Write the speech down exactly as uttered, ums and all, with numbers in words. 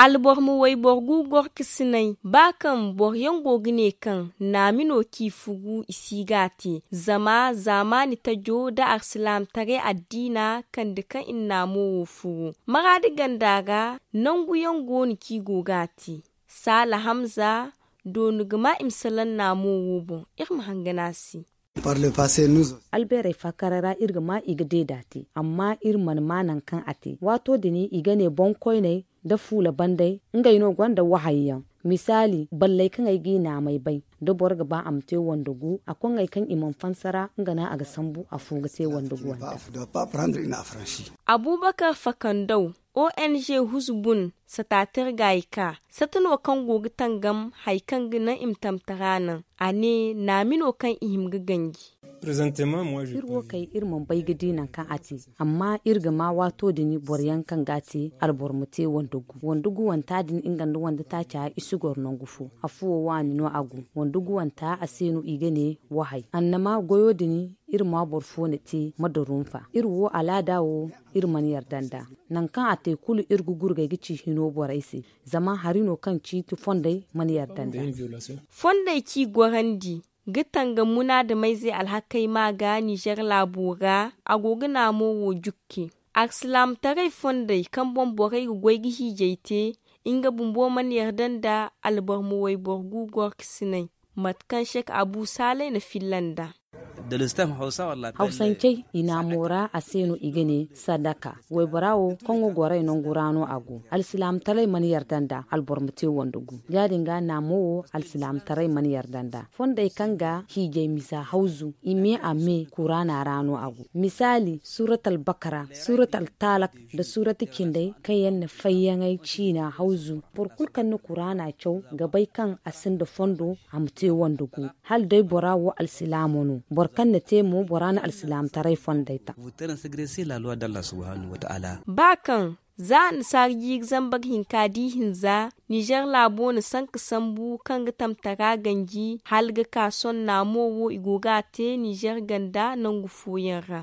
Alboro ma wayboro gu gorkasinay ba kaŋ boro yaŋ go ga ne kaŋ naami no kaŋ i fugu i si ga a te. Zama zaamaani tajo nda alsilaamataray addiina kande kaŋ i na naamo wo fugu maraadi ganda ra. Nangu yaŋ go no kaŋ i go ga a te. Saala hamza doonu ga ma i ma salaŋ naamo wo boŋ. Iri ma hangan a se. Albeerey faakaray ra iri ga ma i ga deeda te amma iri mana ma nangu kaŋ a te waato din i ga ne boŋkoyney nda fuula bandey. Ngey no gonda wahayi yaŋ misaali balley kaŋ ay g'i naamey bay da boro ga ba a ma te wande gu a koŋŋey kaŋ i mana fansa ra nga no a ga sambu afo ga te wande gu wande. Abuubakar fakandaw ong huzu bun sataatari ga i ka sata no kaŋ go ga tangam hari kaŋ ga naŋ i ma tamtara naŋ. A ne naami no kaŋ i hima ga ganji. Iri wo kay iri mana bay ga di nangu kaŋ a te amma iri ga ma waato din boro yaŋ kaŋ ga a te alboro ma te wande gu wande gu wanta din nga nda wande taaca i si goro nangu fo. Afo wo waani no a go wande gu wanta a se no i ga ne wahay annama goyo din. Iri ma boro fo na te ma darunfa iri wo alaada wo iri mana yarda nd'a. Nangu kaŋ a te kulu iri ga gurgay ga ci hino borey se zama hari no kaŋ ciiti fondey mana yarda nd'a. Fondey kaŋ i gorandi ga tangam munaadamayzey alhakey ma ga nizer laabo ra. A go ga naamo wo jukke alsilaamataray fondey kaŋ boŋ borey ga goy ga hiijay te nga bumbo mana yarda nda alboro ma wayboro gu gorkasinay. Mate kaŋ sek abu saalay na filla nd'a. Hawsancey i naamo ra a se no i ga ne sadaka. Waybora wo kaŋ ga gorey nangu ra no a go alsilaamataray mana yarda nd'a alboro ma te wande gu ya- din ga naamo wo alsilaamataray mana yarda nd'a. Fondey kaŋ ga hiijay misa hawzu i me a me kuraana ra no a go misaali suuratal bakara suuratal taalak nda suurati cindey kaŋ yaŋ na fayyaŋey ciina hawzu. Boro kulu kaŋ na kuraana caw ga bay kaŋ a sinda fondo a ma te wande gu. Hala day bora wo alsilaamo no boro kaŋ na te mo bora na alsilaamataray fondey ta. Ba kaŋ za annasaara jiiri zambar hinka di hinza nizer laabo na sanka sambu kaŋ ga tamtara ganji hala ga ka sohõ naamo wo i go ga a te nizer ganda nangu fooyaŋ ra.